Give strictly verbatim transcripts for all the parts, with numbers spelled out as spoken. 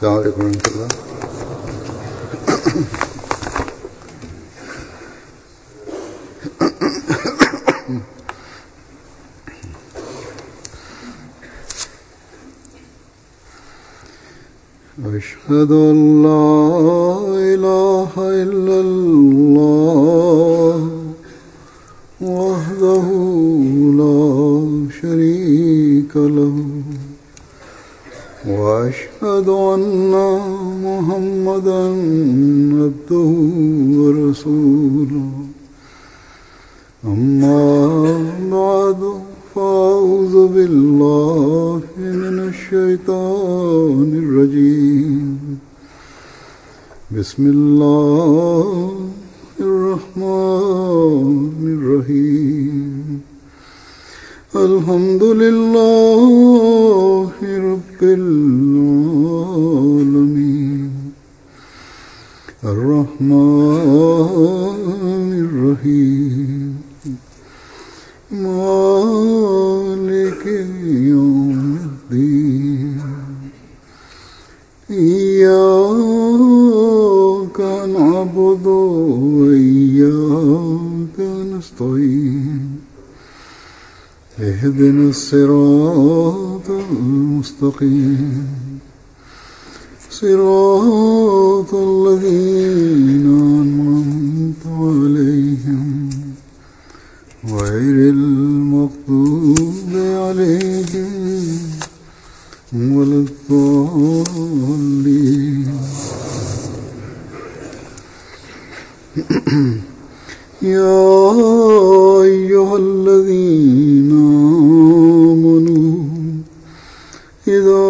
السلام عليكم ورحمة الله. أشهد أن لا إله إلا الله وحده لا شريك له وأشهد أن محمدا عبده ورسوله أما بعد فأعوذ بالله من الشيطان الرجيم بسم الله الرحمن الرحيم الحمد لله رب العالمين الرحمن الرحيم مالك يوم الدين إياك نعبد وإياك نستعين اهدنا الصراط المستقيم صراط الذين أنعمت عليهم غير المغضوب عليهم ولا الضالين. يا أيها الذين آمنوا إذا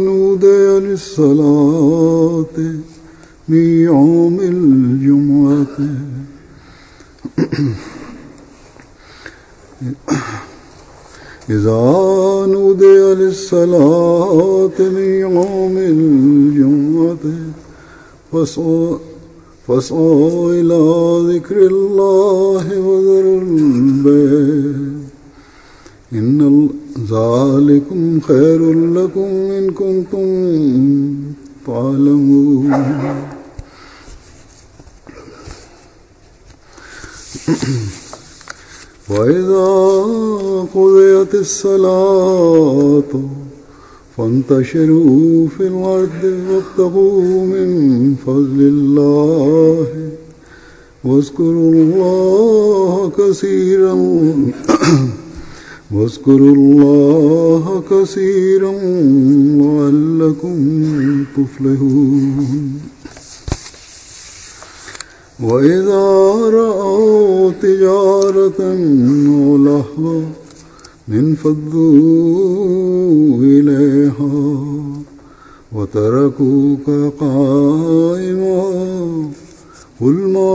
نودي للصلاة من يوم الجمعة إذا نودي للصلاة من يوم الجمعة فاسعوا فاسعوا إلى ذكر الله وذروا البيع إن ذلكم خير لكم إن كنتم تعلمون. وإذا قضيت الصلاة فانتشروا في الأرض وابتغوا من فضل الله واذكروا الله كثيرا واذكروا الله كثيرا لعلكم تفلحون. وإذا رأوا تجارة أو لهوا انفضوا إليها وتركوك قائما قل ما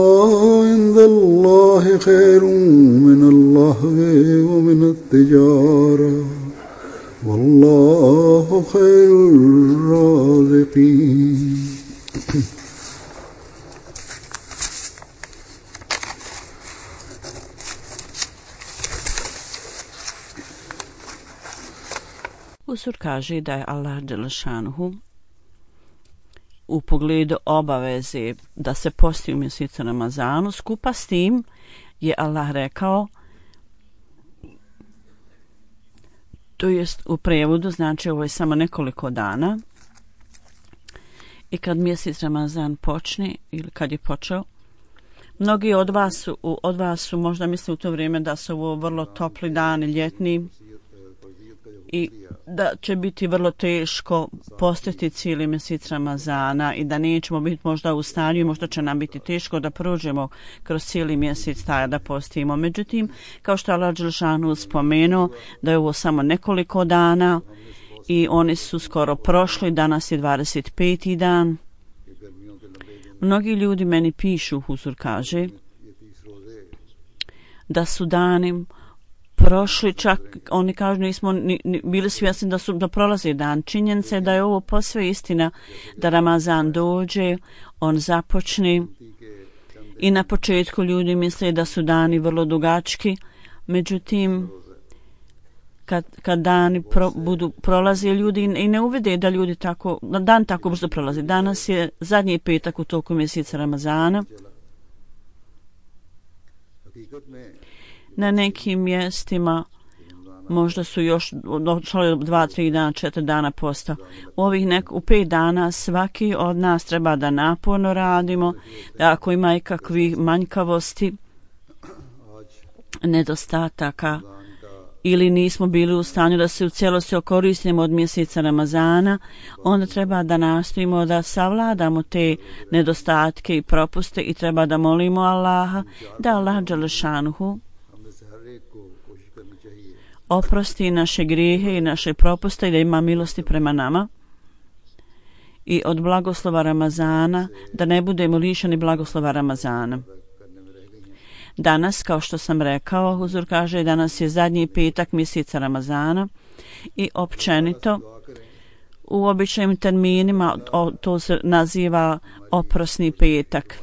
عند الله خير من اللهو ومن التجارة والله خير الرازقين. Usur kaže da je Allah dželešanuhu u pogledu obaveze da se posti u mjesecu Ramazanu, skupa s tim je Allah rekao, to jest u prijevodu, znači ovo je samo nekoliko dana i kad mjesec Ramazan počne ili kad je počeo, mnogi od vas su, od vas su možda misle u to vrijeme da su ovo vrlo topli dani, ljetni, i da će biti vrlo teško postiti cijeli mjesec Ramazana i da nećemo biti možda u stanju, možda će nam biti teško da prođemo kroz cijeli mjesec taj da postimo. Međutim, kao što Allah dželešanu spomenuo da je ovo samo nekoliko dana i oni su skoro prošli, danas je dvadeset peti dan. Mnogi ljudi meni pišu, Huzur kaže, da su dani prošli, čak oni kažu nismo ni, ni, bili svjesni da su da prolazi dan. Činjenica je da je ovo posve istina, da Ramazan dođe, on započne i na početku ljudi misle da su dani vrlo dugački, međutim kad, kad dani pro, budu prolazi ljudi i ne uvide da ljudi tako, dan tako brzo prolazi. Danas je zadnji petak u toku mjeseca Ramazana. Na nekim mjestima možda su još došlo dva, tri dana, četiri dana posta. U ovih nek, u pet dana svaki od nas treba da naporno radimo, da ako ima ikakvih manjkavosti, nedostataka ili nismo bili u stanju da se u cijelosti okoristimo od mjeseca Ramazana, onda treba da nastojimo da savladamo te nedostatke i propuste i treba da molimo Allaha da Allah dželešanuhu oprosti naše grijehe i naše propuste i da ima milosti prema nama i od blagoslova Ramazana da ne budemo lišeni blagoslova Ramazana. Danas, kao što sam rekao, Huzur kaže, danas je zadnji petak mjeseca Ramazana i općenito u običajnim terminima o, to se naziva oprosni petak.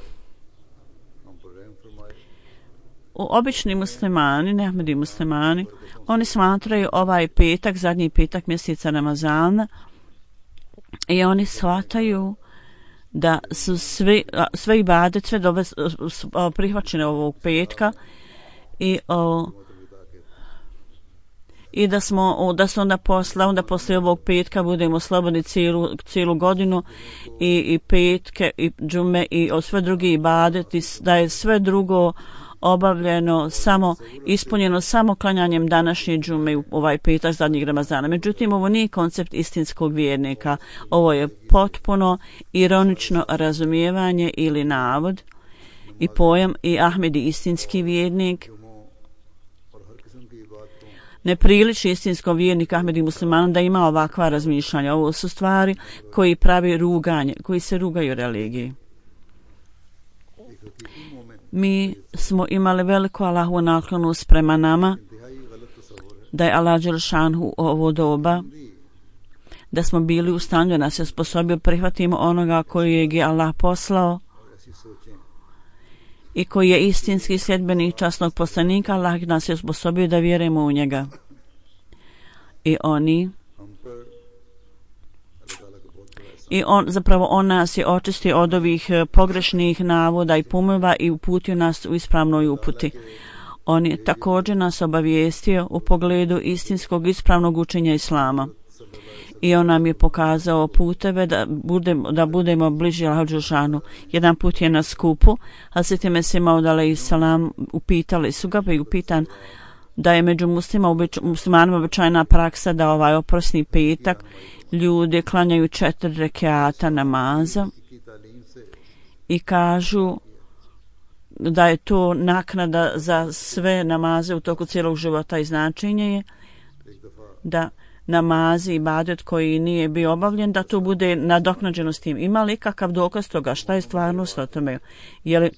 U obični muslimani, ne Ahmedi muslimani, oni smatraju ovaj petak, zadnji petak mjeseca Ramazana i oni shvataju da su sve, sve ibade, sve dove prihvaćene ovog petka i, o, i da smo da se onda posle, onda posle ovog petka budemo slobodni cijelu, cijelu godinu i, i petke i džume i o sve drugi ibadeti, da je sve drugo obavljeno samo, ispunjeno samo klanjanjem današnje džume u ovaj petak zadnjeg Ramazana. Međutim, ovo nije koncept istinskog vjernika. Ovo je potpuno ironično razumijevanje ili navod i pojam i Ahmedi istinski vjernik ne priliči istinskom vjerniku Ahmedi muslimanom da ima ovakva razmišljanja. Ovo su stvari koji pravi ruganje, koji se rugaju religiji. Mi smo imali veliku Allahovu naklonost prema nama, da je Allah dželešanhu ovo doba, da smo bili u stanju da nas je sposobio prihvatimo onoga koji je Allah poslao i koji je istinski sljedbenik časnog poslanika. Allah nas je sposobio da vjerujemo u njega. I oni I on, zapravo on nas je očistio od ovih pogrešnih navoda i pumova i uputio nas u ispravnoj uputi. On je također nas obavijestio u pogledu istinskog ispravnog učenja Islama. I on nam je pokazao puteve da budemo, da budemo bliži Allahu dželešanu. Jedan put je na skupu, Hazreti Mesih Maud alejhi selam upitali su ga, pa je upitan da je među muslima, ubič, muslimanima običajna praksa da ovaj oprosni petak ljudi klanjaju četiri rekiata namaza i kažu da je to naknada za sve namaze u toku cijelog života i značenje je da namazi i ibadet koji nije bio obavljen, da to bude nadoknađeno s tim. Ima li kakav dokaz toga? Šta je stvarnost o tome? Je li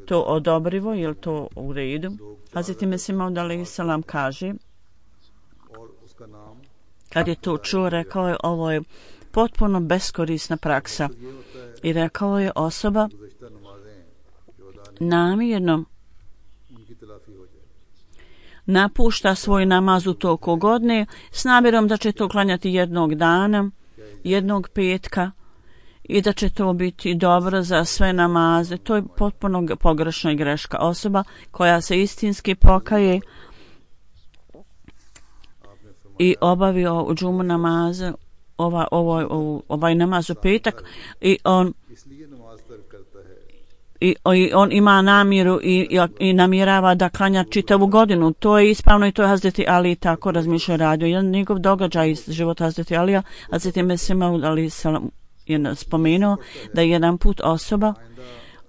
to odobrivo? Je li to u redu? Hazreti Mesih Maud alejhi selam kaže, kad je to čuo, rekao je, ovo je potpuno beskorisna praksa. I rekao je, osoba namjerno napušta svoj namaz u toku godine s namjerom da će to klanjati jednog dana, jednog petka i da će to biti dobro za sve namaze. To je potpuno pogrešna i greška. Osoba koja se istinski pokaje i obavio u džumu namaze, ova, ovaj, ovaj namaz u petak i on I, i on ima namjeru i, i, i namjerava da klanja čitavu godinu. To je ispravno i to je Hazreti Ali tako razmišljao radio. Jedan njegov događaj iz života Hazreti Alija, Hazreti Mesih Maud alejhi selam je spomenuo da je jedan put osoba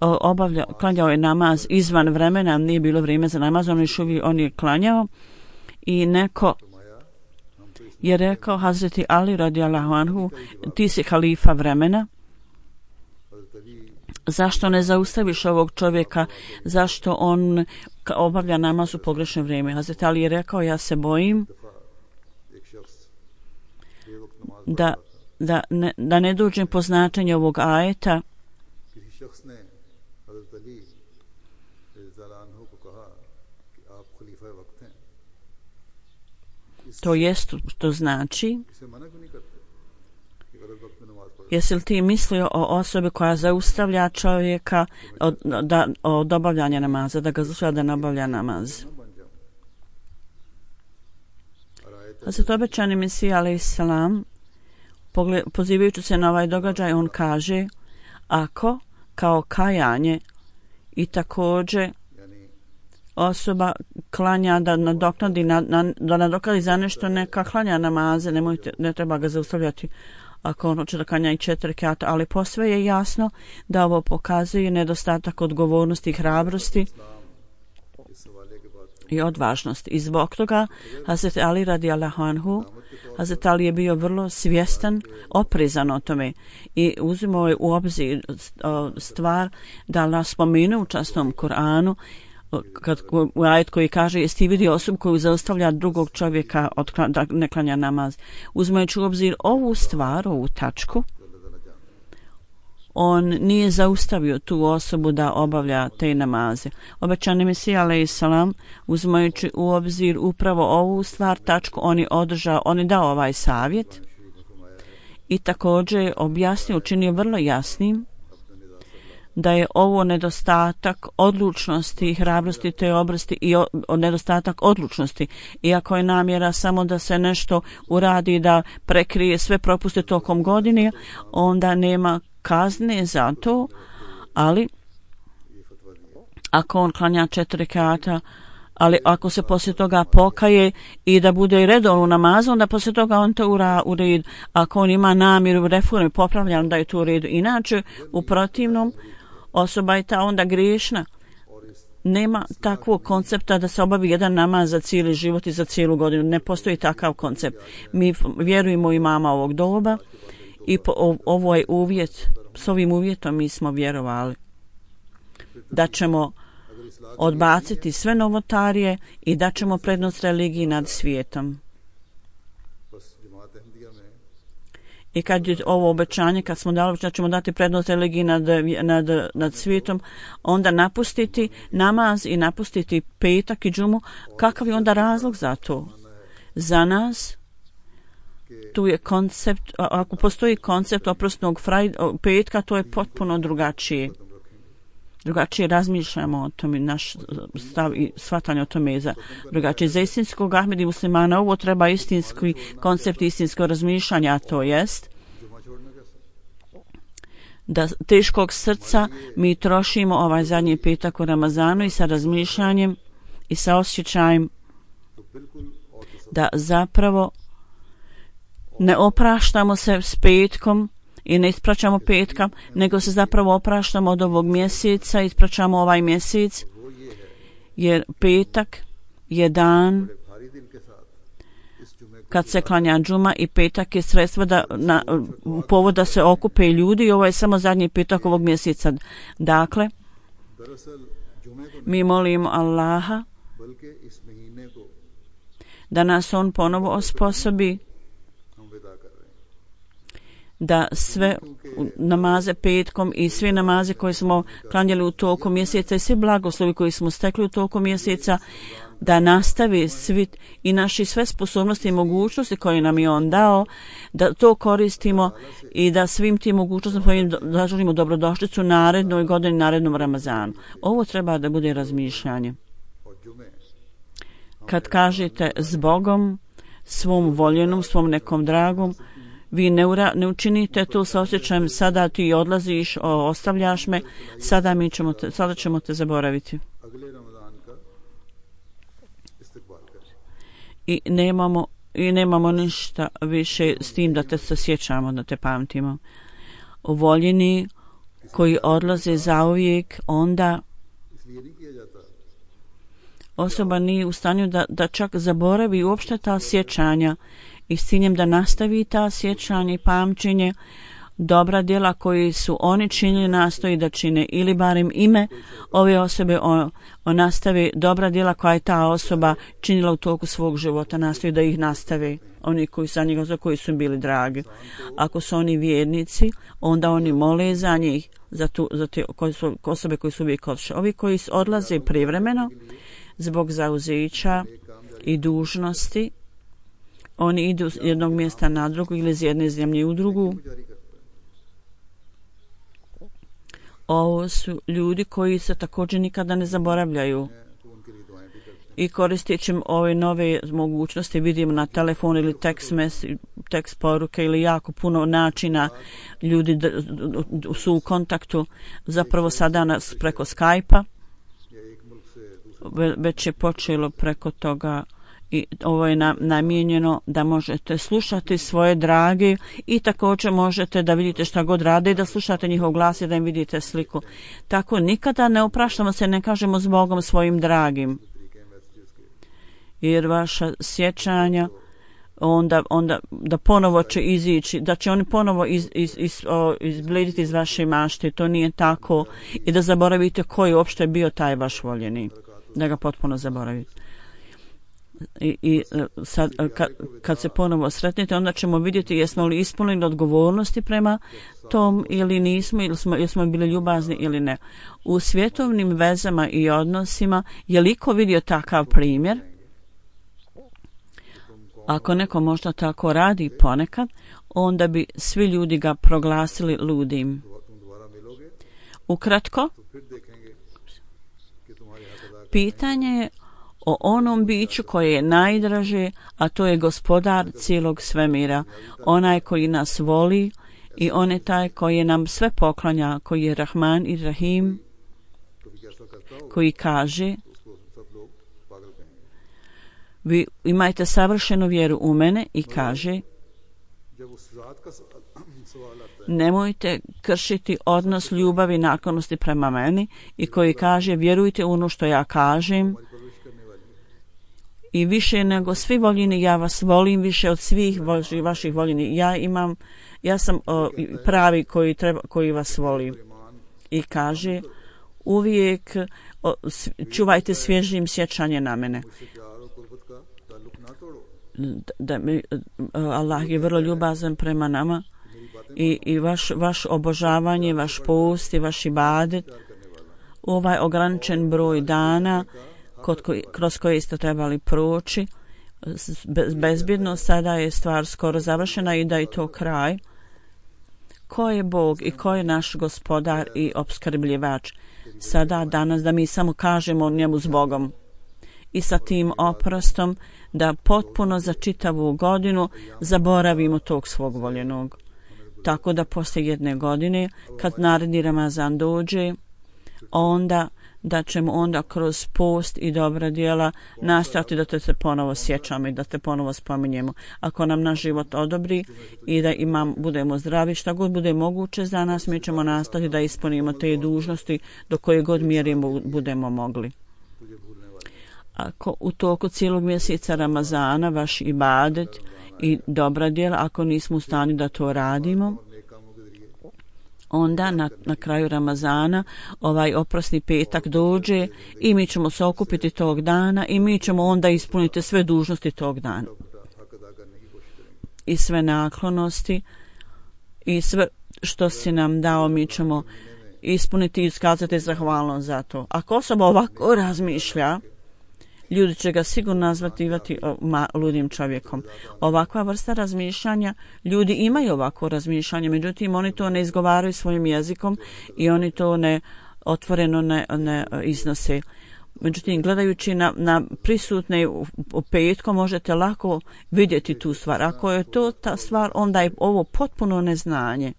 obavlja, klanjao je namaz izvan vremena, nije bilo vrijeme za namaz, on, je, on je klanjao i neko je rekao Hazreti Ali radijallahu anhu, ti si halifa vremena, zašto ne zaustaviš ovog čovjeka, zašto on obavlja namaz u pogrešno vrijeme? Hazreti Ali je rekao, ja se bojim da, da, ne, da ne dođem po značenje ovog ajeta To jest, to znači, इसे मना क्यों नहीं करते कि गलत वक्त में नमाज पढ़ो? jesi li ti mislio o osobi koja zaustavlja čovjeka od, da, od obavljanja namaza, da ga zaustavlja da ne obavlja namaz? Hazret obećani Mesija alejhi selam, pozivajući se na ovaj događaj, on kaže, ako kao kajanje i također osoba klanja da nadoknadi, na, na, da nadoknadi za nešto, neka klanja namaze, nemojte, ne treba ga zaustavljati ako on hoće da klanja i četiri rekata, ali posve je jasno da ovo pokazuje nedostatak odgovornosti i hrabrosti i odvažnost. I zbog toga Hazret Ali radijallahu anhu, Hazret Ali je bio vrlo svjestan, oprezan o tome i uzimao je u obzir stvar da nas spomene u časnom Kur'anu, kad u ajet koji kaže jesi ti vidio osobu koju zaustavlja drugog čovjeka od, da ne klanja namaz. Uzimajući u obzir ovu stvar, ovu tačku, on nije zaustavio tu osobu da obavlja te namaze. Obećani Mesija alejhi selam, uzimajući u obzir upravo ovu stvar, tačku, on je održao, on je dao ovaj savjet i također objasnio, učinio vrlo jasnim da je ovo nedostatak odlučnosti i hrabrosti te obrsti i o, o nedostatak odlučnosti. Iako je namjera samo da se nešto uradi, da prekrije sve propuste tokom godine, onda nema kazne za to, ali ako on klanja četiri rekata, ali ako se poslije toga pokaje i da bude redovno u namazu, onda poslije toga on to ura u red. Ako on ima namjeru reforme, popravlja, onda je to u redu. Inače, u protivnom, osoba je ta onda griješna. Nema takvog koncepta da se obavi jedan namaz za cijeli život i za cijelu godinu. Ne postoji takav koncept. Mi vjerujemo imama ovog doba i po, ovo je uvjet, s ovim uvjetom mi smo vjerovali da ćemo odbaciti sve novotarije i da ćemo prednost religiji nad svijetom. I kad je ovo obećanje, kad smo dali da ćemo dati prednost religiji nad, nad, nad svijetom, onda napustiti namaz i napustiti petak i džumu, kakav je onda razlog za to? Za nas tu je koncept, ako postoji koncept oprosnog petka, to je potpuno drugačije. Drugačije razmišljamo o tome, naš stav i shvatanje o tome je za drugačije. Za istinskog Ahmedi muslimana ovo treba istinski koncept, istinsko razmišljanje, a to jest da teškog srca mi trošimo ovaj zadnji petak u Ramazanu i sa razmišljanjem i sa osjećajem da zapravo ne opraštamo se s petkom i ne ispraćamo petka, nego se zapravo opraštamo od ovog mjeseca, ispraćamo ovaj mjesec, jer petak je dan kad se klanja džuma i petak je sredstvo da na, povod da se okupe ljudi i ovo je samo zadnji petak ovog mjeseca. Dakle, mi molimo Allaha da nas on ponovo osposobi da sve namaze petkom i sve namaze koje smo klanjali u toku mjeseca i sve blagoslovi koji smo stekli u toku mjeseca, da nastavi svit i naši sve sposobnosti i mogućnosti koje nam je on dao, da to koristimo i da svim tim mogućnostima zaželimo dobrodošlicu narednoj godini, narednom Ramazanu. Ovo treba da bude razmišljanje. Kad kažete s Bogom, svom voljenom, svom nekom dragom, vi ne, ura, ne učinite to sa osjećajem sada ti odlaziš, o, ostavljaš me, sada, mi ćemo te, sada ćemo te zaboraviti. I nemamo, i nemamo ništa više s tim da te se sjećamo, da te pamtimo. Voljeni koji odlaze zauvijek, onda osoba nije u stanju da, da čak zaboravi uopšte ta sjećanja i s ciljem da nastavi ta sjećanje i pamćenje, dobra djela koji su oni činili nastoji da čine ili barem ime ove osobe on, on nastavi dobra djela koja je ta osoba činila u toku svog života, nastoji da ih nastave oni koji su, njega, koji su im bili dragi. Ako su oni vjernici, onda oni mole za njih, za, tu, za te koji su, osobe koji su uvijek odšli. Ovi koji odlaze privremeno zbog zauzeća i dužnosti oni idu s jednog mjesta na drugo ili iz jedne zemlje u drugu. Ovo su ljudi koji se također nikada ne zaboravljaju. I koristeći ove nove mogućnosti vidimo na telefon ili tekst, mes, tekst poruke ili jako puno načina ljudi d, d, su u kontaktu. Zapravo sada nas preko Skype-a već je počelo preko toga i ovo je na, namijenjeno da možete slušati svoje drage i također možete da vidite šta god rade i da slušate njihov glas i da im vidite sliku. Tako nikada ne opraštamo se, ne kažemo s Bogom svojim dragim. Jer vaša sjećanja onda, onda da ponovo će izići, da će oni ponovo iz, iz, iz, o, izblediti iz vaše mašte, to nije tako, i da zaboravite koji uopšte je bio taj vaš voljeni, da ga potpuno zaboravite. I, i sad, kad, kad se ponovo sretnete, onda ćemo vidjeti jesmo li ispunili odgovornosti prema tom ili nismo, ili smo, ili smo bili ljubazni ili ne. U svjetovnim vezama i odnosima je li ko vidio takav primjer? Ako neko možda tako radi ponekad, onda bi svi ljudi ga proglasili ludim. Ukratko, pitanje je o onom biću koje je najdraže, a to je gospodar cijelog svemira, onaj koji nas voli i on je taj koji nam sve poklanja, koji je Rahman i Rahim, koji kaže: vi imajte savršenu vjeru u mene, i kaže: nemojte kršiti odnos ljubavi i naklonosti prema meni, i koji kaže: vjerujte u ono što ja kažem, i više nego svi voljeni ja vas volim, više od svih vaši, vaših voljeni. Ja imam, ja sam o, pravi koji, treba, koji vas voli. I kaže: uvijek o, čuvajte svježim sjećanje na mene. Da mi, Allah je vrlo ljubazan prema nama i, i vaš, vaš obožavanje, vaš post i vaš ibadet, ovaj ograničen broj dana kod koji, kroz koje ste trebali proći bezbjedno, sada je stvar skoro završena i da je to kraj. Ko je Bog i ko je naš gospodar i opskrbljivač? Sada, danas, da mi samo kažemo njemu s Bogom i sa tim oprostom da potpuno za čitavu godinu zaboravimo tog svog voljenog. Tako da poslije jedne godine, kad naredni Ramazan dođe, onda da ćemo onda kroz post i dobra djela nastojati da te se ponovo sjećamo i da te ponovo spominjemo. Ako nam naš život odobri i da imam, budemo zdravi, šta god bude moguće za nas, mi ćemo nastojati da ispunimo te dužnosti do koje god mjeri budemo mogli. Ako u toku cijelog mjeseca Ramazana vaš ibadet i dobra djela, ako nismo u stanju da to radimo, onda na, na kraju Ramazana ovaj oprosni petak dođe i mi ćemo se okupiti tog dana i mi ćemo onda ispuniti sve dužnosti tog dana i sve naklonosti i sve što si nam dao mi ćemo ispuniti i iskazati zahvalnost za to. Ako osoba ovako razmišlja, ljudi će ga sigurno nazvati ludim čovjekom. Ovakva vrsta razmišljanja, ljudi imaju ovako razmišljanje, međutim oni to ne izgovaraju svojim jezikom i oni to ne otvoreno ne, ne iznose. Međutim, gledajući na, na prisutne u, u petkom možete lako vidjeti tu stvar. Ako je to ta stvar, onda je ovo potpuno neznanje.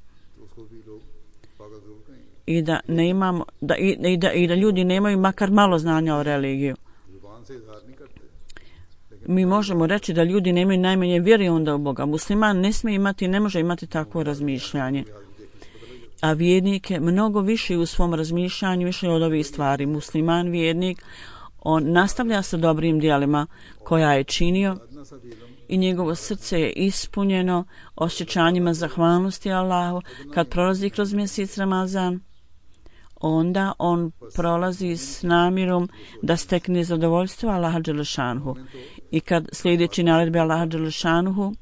I da, ne imamo, da, i, i, da, i da ljudi nemaju makar malo znanja o religiju. Mi možemo reći da ljudi nemaju najmanje vjere onda u Boga. Musliman ne smije imati, ne može imati takvo razmišljanje. A vjernik je mnogo više u svom razmišljanju, više od ovih stvari. Musliman, vjernik, on nastavlja sa dobrim djelima koja je činio i njegovo srce je ispunjeno osjećanjima zahvalnosti Allahu. Kad prolazi kroz mjesec Ramazan, onda on prolazi s namjerom da stekne zadovoljstvo Allaha dželešanuhu. I kad sljedeći naredbe Allaha dželešanuhu,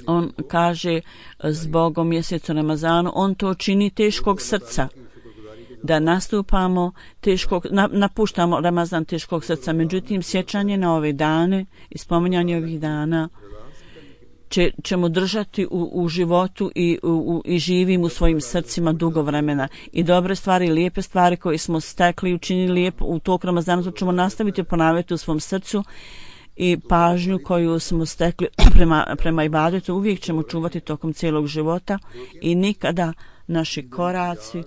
on kaže zbog mjeseca Ramazanu, on to čini teškog srca. da nastupamo teškog, na, napuštamo Ramazan teškog srca. Međutim, sjećanje na ove dane i spominjanje ovih dana će, ćemo držati u, u životu i, u, i živim u svojim srcima dugo vremena. I dobre stvari, lijepe stvari koje smo stekli i učinili lijepo u toku Ramazana, to ćemo nastaviti ponavljati u svom srcu i pažnju koju smo stekli prema, prema ibadetu uvijek ćemo čuvati tokom cijelog života i nikada naši koraci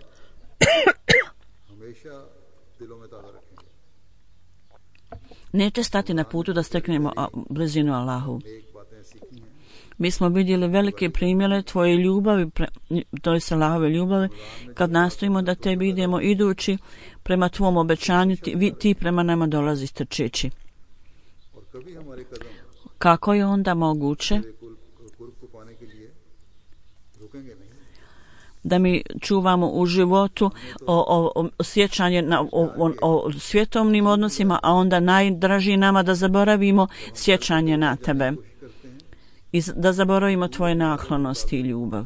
neće stati na putu da steknemo blizinu Allahu. Mi smo vidjeli velike primjere tvoje ljubavi, to je Allahove ljubavi, kad nastojimo da tebi idemo idući prema tvom obećanju, ti, ti prema nama dolazi trčeći. Kako je onda moguće da mi čuvamo u životu o, o, o sjećanje na, o, o, o svjetovnim odnosima, a onda najdraži nama da zaboravimo sjećanje na tebe i da zaboravimo tvoje naklonosti i ljubav.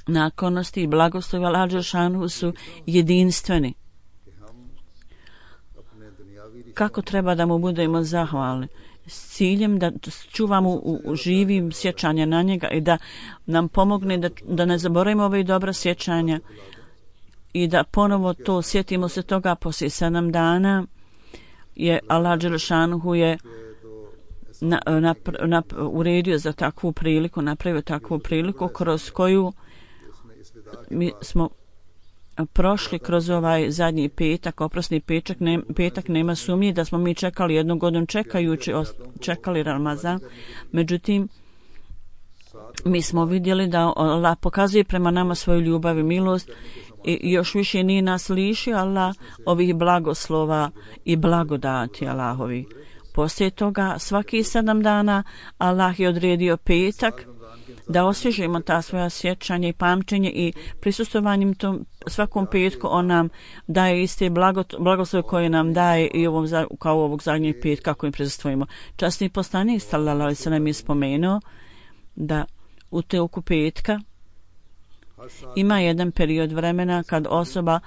Naklonosti i blagoslovi Allaha dželešanu su jedinstveni. Kako treba da mu budemo zahvalni s ciljem da čuvamo u, u živim sjećanja na njega i da nam pomogne da, da ne zaboravimo ove dobra sjećanja i da ponovo to sjetimo se toga poslije sedam dana je Allah dželešanu je na, na, na, uredio za takvu priliku, napravio takvu priliku kroz koju mi smo prošli kroz ovaj zadnji petak, oprosni petak, ne, petak nema sumnje da smo mi čekali jednu godinu čekajući, čekali Ramazan. Međutim, mi smo vidjeli da Allah pokazuje prema nama svoju ljubav i milost i još više nije nas lišio Allah ovih blagoslova i blagodati Allahovi. Poslije toga, svaki sedam dana Allah je odredio petak da osvježimo ta svoja sjećanja i pamćenje i prisustvovanjem tom svakom petku on nam daje iste blagoslove koje nam daje i ovom, kao ovog zadnjeg petka kojim prisustvujemo. Časni poslanik sallallahu alejhi ve sellem je spomenuo da u toku petka ima jedan period vremena kad osoba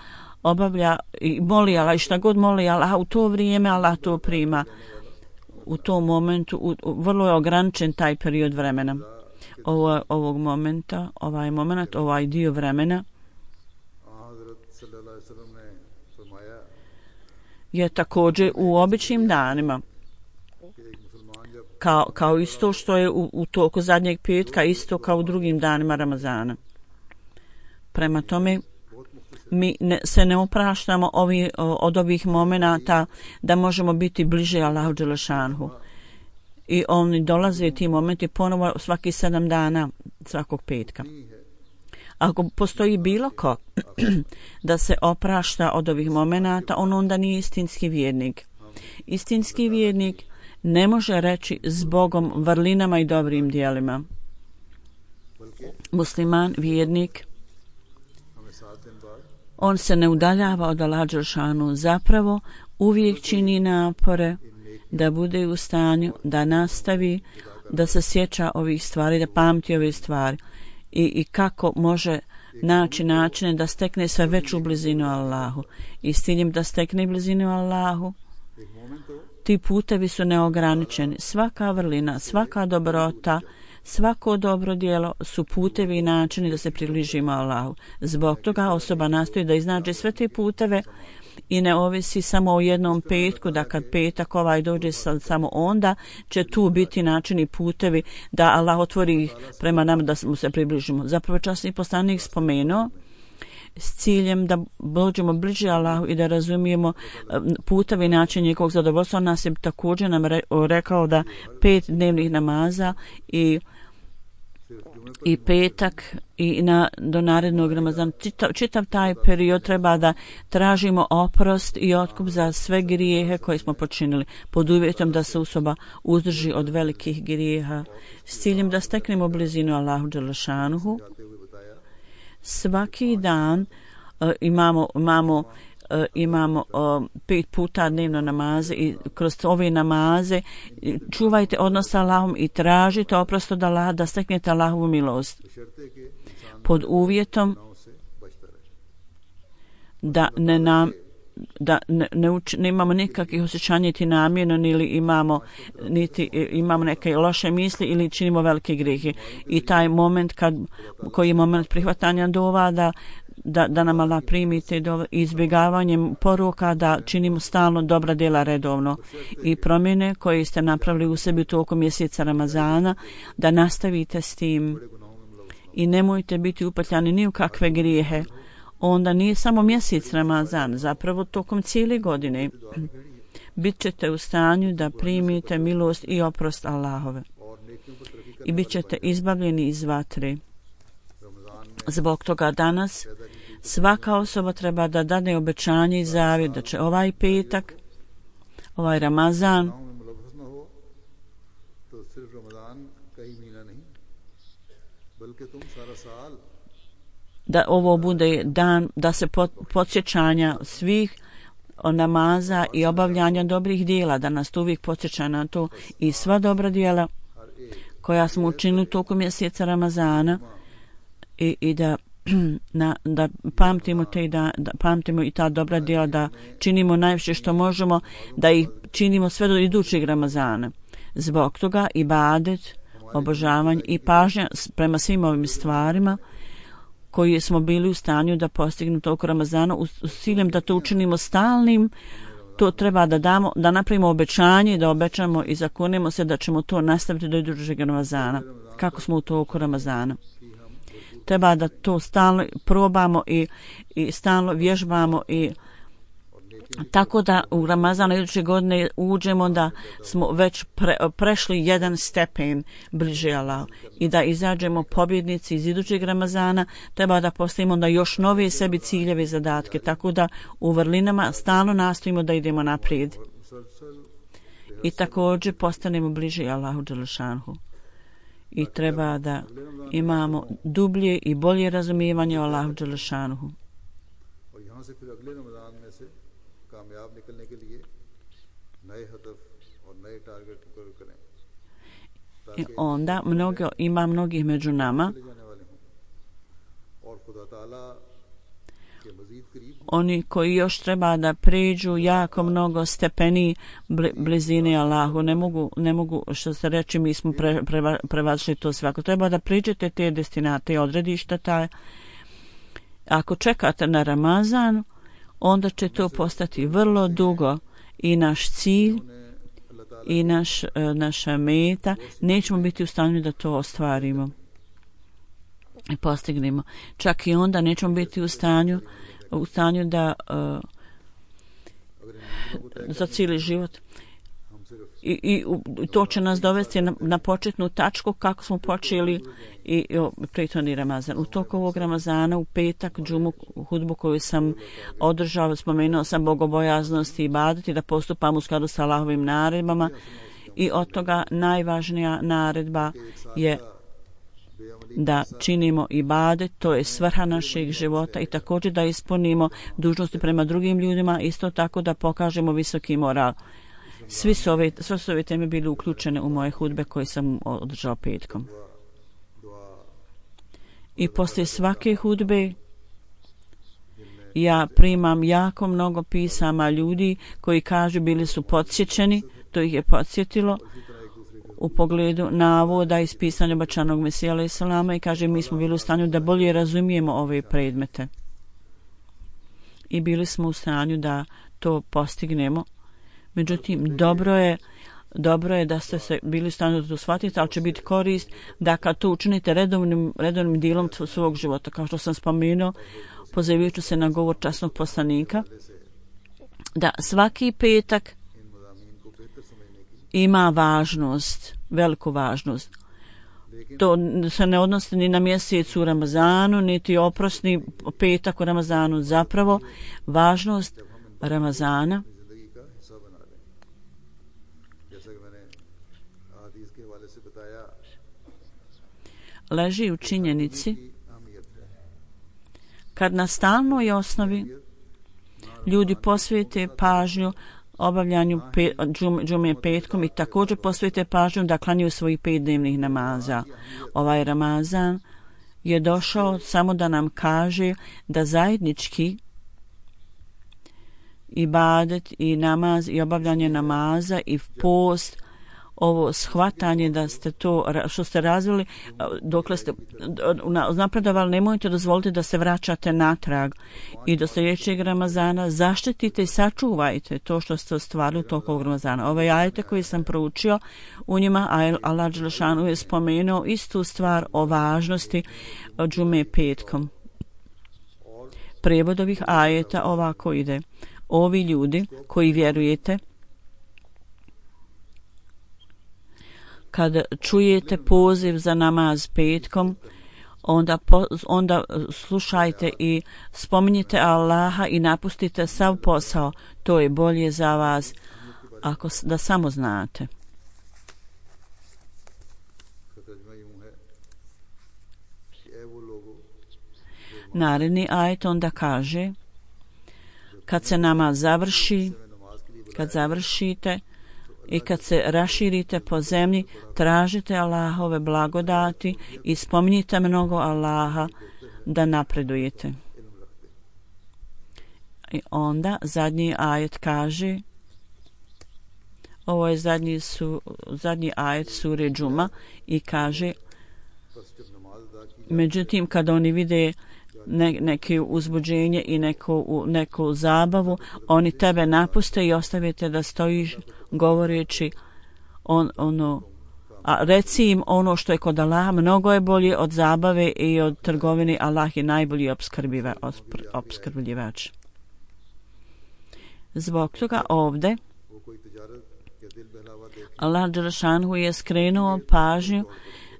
obavlja i moli Allah i šta god moli Allah, u to vrijeme Allah to prima. U tom momentu u, u, vrlo je ograničen taj period vremena. Ovo, ovog momenta, ovaj moment, ovaj dio vremena je također u običnim danima kao, kao isto što je u, u toku zadnjeg petka, isto kao u drugim danima Ramazana. Prema tome mi ne, se ne opraštamo ovi, od ovih momenata da možemo biti bliže Allahu dželešanu. I oni dolaze ti momenti ponovo svaki sedam dana svakog petka. Ako postoji bilo ko da se oprašta od ovih momenata, on onda nije istinski vjernik. Istinski vjernik ne može reći s Bogom vrlinama i dobrim dijelima. Musliman, vjernik, on se ne udaljava od Allaha dželešanu, zapravo uvijek čini napore da bude u stanju da nastavi da se sjeća ovih stvari, da pamti ove stvari i, i kako može naći načine da stekne sve veću blizinu Allahu. I s ciljem da stekne blizinu Allahu, ti putevi su neograničeni. Svaka vrlina, svaka dobrota, svako dobro djelo su putevi i načini da se približimo Allahu. Zbog toga osoba nastoji da iznađe sve te puteve i ne ovisi samo o jednom petku, da kad petak ovaj dođe samo onda će tu biti načini putevi da Allah otvori ih prema nama da mu se približimo. Zapravo časni poslanik spomenuo s ciljem da dođemo bliže Allahu i da razumijemo putevi i način njegovog zadovoljstva. On nas je također nam rekao da pet dnevnih namaza i i petak i na, do narednog Ramazana. Čitav, čitav taj period treba da tražimo oprost i otkup za sve grijehe koje smo počinili, pod uvjetom da se osoba uzdrži od velikih grijeha, s ciljem da steknemo blizinu Allahu dželešanuhu. Svaki dan uh, imamo, imamo uh, imamo uh, pet puta dnevno namaze i kroz ove namaze čuvajte odnos sa Allahom i tražite oprost od Allaha da steknete Allahovu milost pod uvjetom da ne nam da ne, ne, uč, ne imamo nikakvih osjećanja niti namjerno, niti imamo, niti imamo neke loše misli ili činimo velike grijehe. I taj moment kad, koji je moment prihvatanja dova, da, da, da nam Allah primi te dove, izbjegavanjem poruka da činimo stalno dobra djela redovno i promjene koje ste napravili u sebi tokom mjeseca Ramazana, da nastavite s tim i nemojte biti upetljani ni u kakve grijehe. Onda nije samo mjesec Ramazan, zapravo tokom cijele godine bit ćete u stanju da primite milost i oprost Allahove i bit ćete izbavljeni iz vatre. Zbog toga danas svaka osoba treba da dade obećanje i zavjet da će ovaj petak, ovaj Ramazan da ovo bude dan da se podsjećanja svih namaza i obavljanja dobrih dijela, da nas to uvijek podsjeća na to i sva dobra dijela koja smo učinili tokom mjeseca Ramazana i, i da, na, da pamtimo te da, da pamtimo i ta dobra dijela, da činimo najviše što možemo, da ih činimo sve do idućeg Ramazana. Zbog toga ibadet, obožavanje i pažnja prema svim ovim stvarima koji smo bili u stanju da postignu toliko Ramazana, u, u ciljem da to učinimo stalnim, to treba da damo, da napravimo obećanje, da obećamo i zakunemo se da ćemo to nastaviti do idućeg Ramazana, kako smo u toliko Ramazana. Treba da to stalno probamo i, i stalno vježbamo i tako da u Ramazanu iduće godine uđemo da smo već pre, prešli jedan stepen bliže Allahu i da izađemo pobjednici iz idućeg Ramazana. Treba da postavimo da još nove sebi ciljeve i zadatke, tako da u vrlinama stalno nastojimo da idemo naprijed i također postanemo bliže Allahu dželešanhu. I treba da imamo dublje i bolje razumijevanje o Allahu dželešanhu. कामयाब निकलने के लिए नए हदफ और नए टारगेट मुकर्रर करें। I onda mnogo, ima mnogih među nama oni koji još treba da pređu jako mnogo stepeni blizine Allahu. Ne mogu, ne mogu što se reći mi smo pre, pre, prevašli to sve. Ako treba da priđete te destinate, odredišta taj, ako čekate na Ramazan, onda će to postati vrlo dugo i naš cilj i naš, naša meta, nećemo biti u stanju da to ostvarimo i postignemo. Čak i onda nećemo biti u stanju, u stanju da uh, za cijeli život. I, i to će nas dovesti na, na početnu tačku kako smo počeli i, i prethodni Ramazan. U toku ovog Ramazana u petak džumu hudbu koju sam održao, spomenuo sam bogobojaznost i ibadet i da postupam u skladu sa Allahovim naredbama i od toga najvažnija naredba je da činimo ibadet, to je svrha našeg života i također da ispunimo dužnosti prema drugim ljudima, isto tako da pokažemo visoki moral. Svi su ove, sve su ove teme bili uključene u moje hudbe koje sam održao petkom. I poslije svake hudbe ja primam jako mnogo pisama ljudi koji kažu bili su podsjećeni, to ih je podsjetilo u pogledu navoda iz pisanja obećanog Mesija alejhi selama i kaže mi smo bili u stanju da bolje razumijemo ove predmete. I bili smo u stanju da to postignemo. Međutim, dobro je, dobro je da ste se bili u stanju da to shvatite, ali će biti korist da kad to učinite redovnim, redovnim dijelom svog života. Kao što sam spomenuo, pozivajući se na govor časnog poslanika, da svaki petak ima važnost, veliku važnost. To se ne odnosi ni na mjesec u Ramazanu, niti oprosni petak u Ramazanu. Zapravo, važnost Ramazana leži u činjenici kad na stalnoj osnovi ljudi posvete pažnju obavljanju pe, džum, džume petkom i također posvete pažnju da klanjaju svojih pet dnevnih namaza. Ovaj Ramazan je došao samo da nam kaže da zajednički ibadet i namaz i obavljanje namaza i post, ovo shvatanje da ste to što ste razvili dokle ste napredovali, nemojte dozvoliti da se vraćate natrag i do sljedećeg Ramazana zaštitite i sačuvajte to što ste ostvarili tokom Ramazana. Ove ajete koje sam proučio, u njima Allah dželešanu je spomenuo istu stvar o važnosti džume petkom. Prijevod ovih ajeta ovako ide: ovi ljudi koji vjerujete, kad čujete poziv za namaz petkom, onda, po, onda slušajte i spominjite Allaha i napustite sav posao. To je bolje za vas ako da samo znate. Naredni ajet onda kaže: kad se namaz završi, kad završite i kad se raširite po zemlji, tražite Allahove blagodati i spominjite mnogo Allaha da napredujete. I onda zadnji ajet kaže, ovo je zadnji, su, zadnji ajet sure Džuma i kaže: međutim, kada oni vide ne, neke uzbuđenje i neku, neku zabavu, oni tebe napuste i ostavite da stojiš govoreći on, ono, a reci im ono što je kod Allaha mnogo je bolje od zabave i od trgovine. Allah je najbolji opskrbljiva, opskrbljivač. Zbog toga ovdje Allah dželešanu je skrenuo pažnju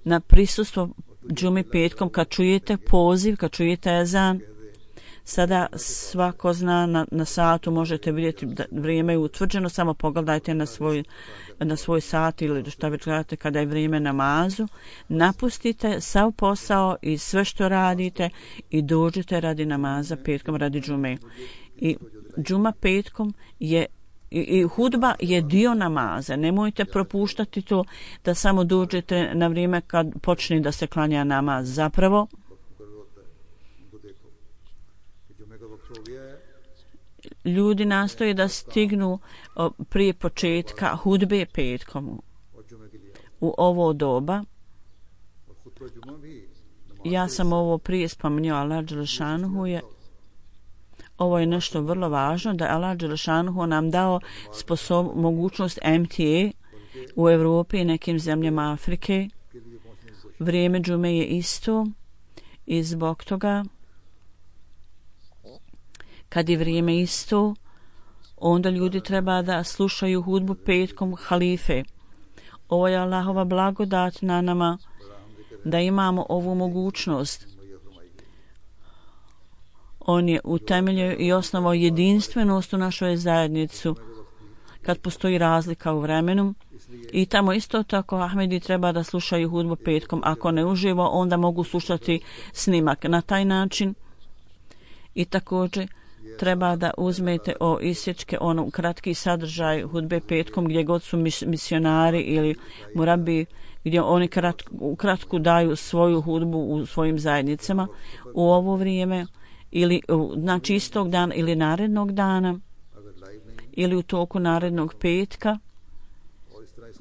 na prisustvo džumi petkom. Kad čujete poziv, kad čujete ezan, sada svako zna na, na satu, možete vidjeti da vrijeme je utvrđeno, samo pogledajte na svoj, na svoj sat ili šta već gledate kada je vrijeme namazu, napustite sav posao i sve što radite i dođite radi namaza petkom, radi džume. I džuma petkom je I, i hudba je dio namaza. Nemojte propuštati to da samo dođete na vrijeme kad počne da se klanja namaz. Zapravo ljudi nastoje da stignu prije početka hudbe petkom. U ovo doba, ja sam ovo prije spomenuo, Allah dželešanu je ovo je nešto vrlo važno, da Allah dželešanu nam dao sposob, mogućnost M T A u Europi i nekim zemljama Afrike. Vrijeme džume je isto i zbog toga kad je vrijeme isto, onda ljudi treba da slušaju hudbu petkom halife. Ovo je Allahova blagodat na nama da imamo ovu mogućnost. On je utemeljio i osnovao jedinstvenost u našoj zajednicu kad postoji razlika u vremenu. I tamo isto tako Ahmedi treba da slušaju hudbu petkom. Ako ne uživo, onda mogu slušati snimak na taj način. I također treba da uzmete o isječke, ono kratki sadržaj hudbe petkom gdje god su misionari ili murabi, gdje oni kratku, kratku daju svoju hudbu u svojim zajednicama u ovo vrijeme, ili znači istog dana ili narednog dana ili u toku narednog petka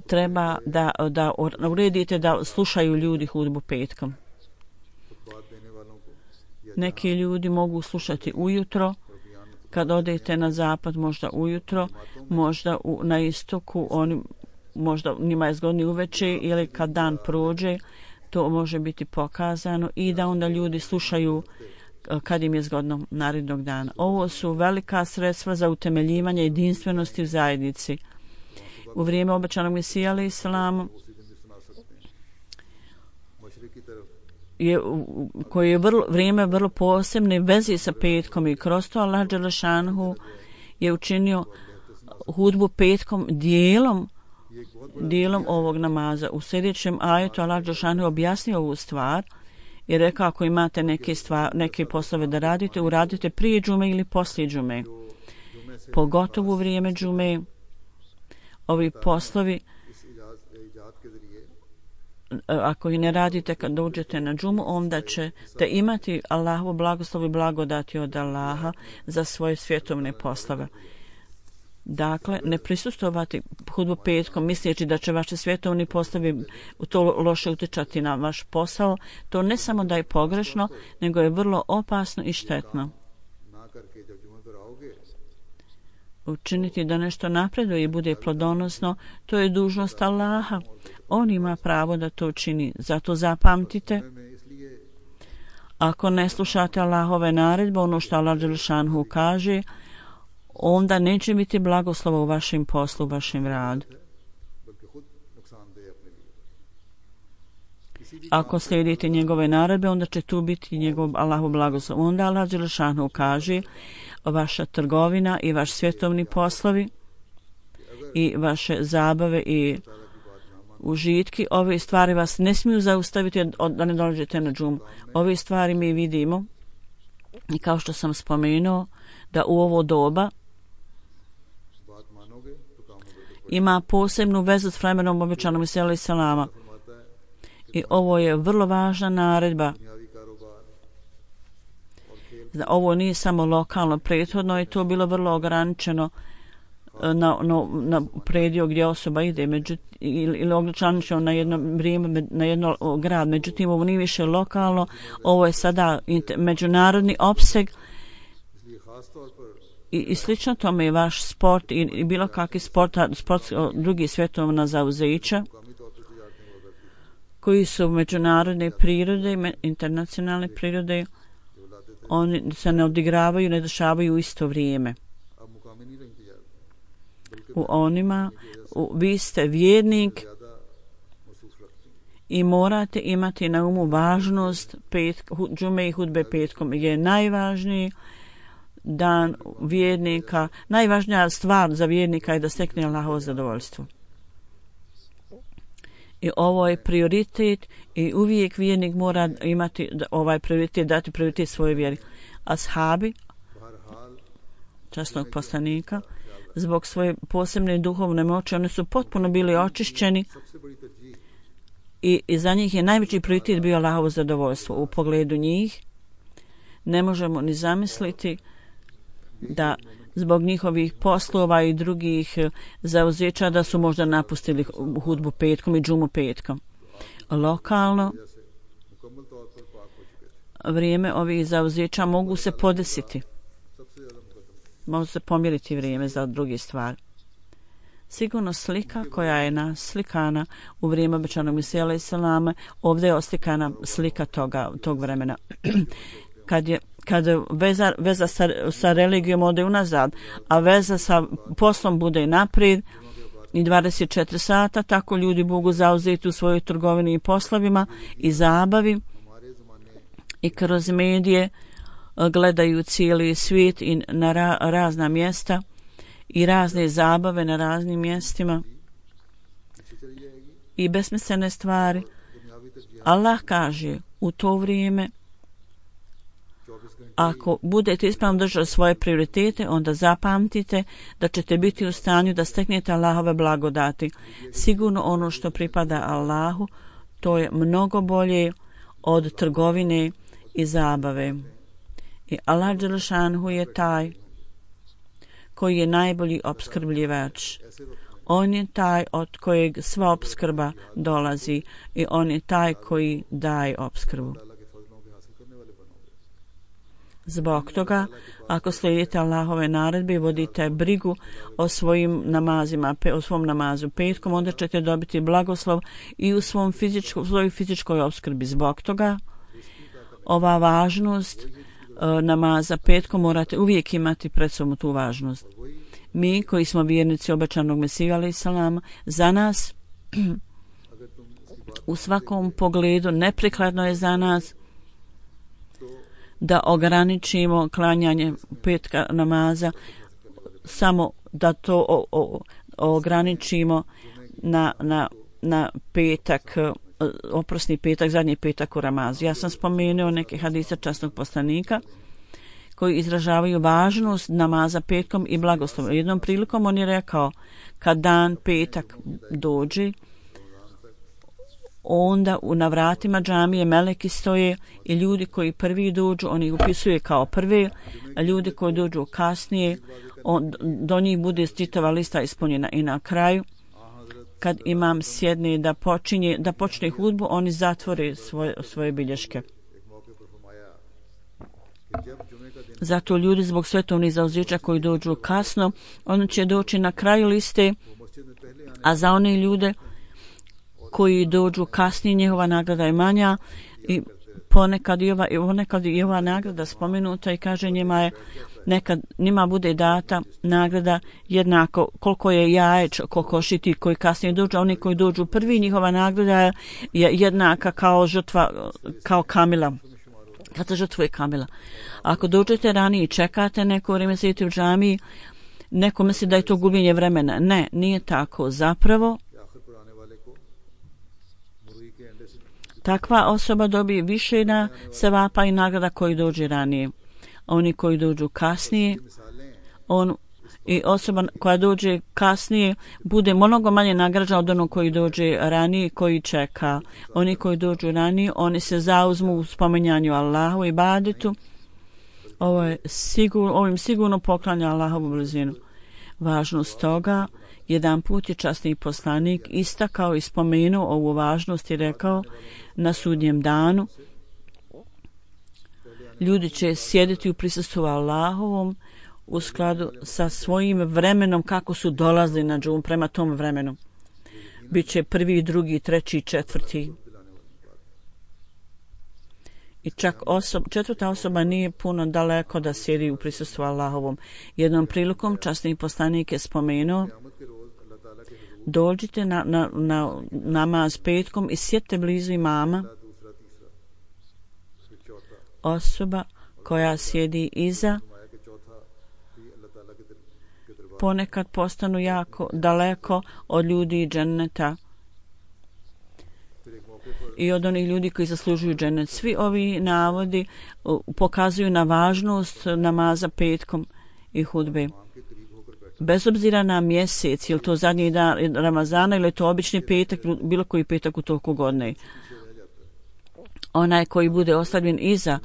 treba da, da uredite da slušaju ljudi hudbu petkom. Neki ljudi mogu slušati ujutro, kad odete na zapad možda ujutro, možda u, na istoku oni, možda njima je zgodni uveče ili kad dan prođe, to može biti pokazano i da onda ljudi slušaju kad im je zgodno narednog dana. Ovo su velika sredstva za utemeljivanje jedinstvenosti u zajednici. U vrijeme obećanog Mesija alejhi selam je koje je vrlo, vrijeme vrlo posebne veze sa petkom i kroz to Allah dželešanu je učinio hudbu petkom dijelom dijelom ovog namaza. U sljedećem ajetu Allah dželešanu objasnio ovu stvar i rekao ako imate neke, stvar, neke poslove da radite, uradite prije džume ili poslije džume. Pogotovo u vrijeme džume ovi poslovi, ako i ne radite kad dođete na džumu, onda ćete imati Allahovu blagoslov i blagodati od Allaha za svoje svjetovne poslove. Dakle, ne prisustovati hudbu petkom misleći da će vaše svjetovni poslovi to loše utjecati na vaš posao, to ne samo da je pogrešno, nego je vrlo opasno i štetno. Učiniti da nešto napreduje i bude plodonosno, to je dužnost Allaha. On ima pravo da to čini. Zato zapamtite, ako ne slušate Allahove naredbe, ono što Allah dželešanu kaže, onda neće biti blagoslova u vašem poslu, u vašem radu. Ako slijedite njegove naredbe, onda će tu biti njegov Allahov blagoslov. Onda Allah dželešanu kaže, vaša trgovina i vaš svjetovni poslovi i vaše zabave i užitki, ove stvari vas ne smiju zaustaviti da ne dođete na džumu. Ove stvari mi vidimo i kao što sam spomenuo, da u ovo doba ima posebnu vezu s vremenom obećanom Isa alejhi selama. I ovo je vrlo važna naredba. Ovo nije samo lokalno, prethodno je to bilo vrlo ograničeno na, na, na predio gdje osoba ide među, ili, ili ograničeno na jedno vrijeme, na jedno grad. Međutim, ovo nije više lokalno, ovo je sada međunarodni opseg i, i slično tome je vaš sport i, i bilo kakvi sport, sport drugi svjetovna zauzeća koji su međunarodne prirode, internacionalne prirode, oni se ne odigravaju, ne dešavaju u isto vrijeme. U onima, u, vi ste vjernik i morate imati na umu važnost pet, džume i hudbe petkom. Je najvažniji dan vjernika, najvažnija stvar za vjernika je da stekne Allahovo zadovoljstvo. I ovo je prioritet i uvijek vjernik mora imati ovaj prioritet, dati prioritet svojoj vjeri. Ashabi, časnog poslanika, zbog svoje posebne duhovne moći, oni su potpuno bili očišćeni i, i za njih je najveći prioritet bio Allahovo zadovoljstvo. U pogledu njih ne možemo ni zamisliti da zbog njihovih poslova i drugih zauzeća da su možda napustili hudbu petkom i džumu petkom. Lokalno vrijeme ovih zauzeća mogu se podesiti. Mogu se pomjeriti vrijeme za drugi stvari. Sigurno slika koja je naslikana u vrijeme obećanog Mesija alejhi selama, ovdje je oslikana slika toga, tog vremena. Kad je kad veza, veza sa, sa religijom ode unazad, a veza sa poslom bude naprijed i dvadeset četiri sata, tako ljudi mogu zauzeti u svojoj trgovini i poslovima i zabavi i kroz medije gledaju cijeli svijet i na ra, razna mjesta i razne zabave na raznim mjestima i besmislene stvari. Allah kaže u to vrijeme, ako budete ispravno držali svoje prioritete, onda zapamtite da ćete biti u stanju da steknete Allahove blagodati. Sigurno ono što pripada Allahu, to je mnogo bolje od trgovine i zabave. I Allah dželešanu je taj koji je najbolji opskrbljivač. On je taj od kojeg sva opskrba dolazi i on je taj koji daje opskrbu. Zbog toga, ako slijedite Allahove naredbe i vodite brigu o svojim namazima, o svom namazu petkom, onda ćete dobiti blagoslov i u svom fizičko, svojoj fizičkoj opskrbi. Zbog toga, ova važnost e, namaza petkom morate uvijek imati pred sobom tu važnost. Mi koji smo vjernici obećanog Mesija alejhi selama, za nas u svakom pogledu neprikladno je za nas da ograničimo klanjanje petka namaza, samo da to o, o, ograničimo na, na, na petak, oprosni petak, zadnji petak u Ramazu. Ja sam spomenuo neke hadise časnog poslanika koji izražavaju važnost namaza petkom i blagoslovom. Jednom prilikom on je rekao, kad dan petak dođe, onda na vratima džamije meleki stoje i ljudi koji prvi dođu, oni upisuju kao prve, a ljudi koji dođu kasnije, on, do njih bude čitava lista ispunjena. I na kraju, kad imam sjedne da počinje, da počne hudbu, oni zatvore svoje, svoje bilješke. Zato ljudi zbog svetovnih zauzeća koji dođu kasno, oni će doći na kraju liste, a za one ljude koji dođu kasnije, njihova nagrada je manja i ponekad i ova, ponekad i ova nagrada spomenuta i kaže njima je nekad njima bude data nagrada jednako koliko je jajeć kokošiti koji kasnije dođu, a oni koji dođu prvi, njihova nagrada je jednaka kao žrtva, kao kamila. Kad se žrtvuje kamila. Ako dođete ranije i čekate neko vrijeme sjediti u džamiji, neko misli da je to gubljenje vremena. Ne, nije tako. Zapravo, takva osoba dobije više na sevapa i nagrada koji dođe ranije. Oni koji dođu kasnije, on i osoba koja dođe kasnije bude mnogo manje nagrađena od onog koji dođe ranije, koji čeka. Oni koji dođu ranije, oni se zauzmu u spominjanju Allahu i ibadetu. Ovo je sigurno, ovim sigurno poklanja Allahovu blizinu. Važnost toga, jedan put je časni poslanik istakao i spomenuo ovu važnost i rekao na sudnjem danu ljudi će sjediti u prisustvu Allahovom u skladu sa svojim vremenom kako su dolazili na džum prema tom vremenu. Biće prvi, drugi, treći, četvrti. I čak osob, četvrta osoba nije puno daleko da sjedi u prisustvu Allahovom. Jednom prilikom časni poslanik je spomenuo dođite na, na, na namaz petkom i sjedite blizu imama. Osoba koja sjedi iza ponekad postanu jako daleko od ljudi dženneta i od onih ljudi koji zaslužuju džennet. Svi ovi navodi pokazuju na važnost namaza petkom i hudbe. Bez obzira na mjesec, je li to zadnji dan Ramazana ili je to obični petak, bilo koji petak u toku godine. Onaj koji bude ostavljen iza,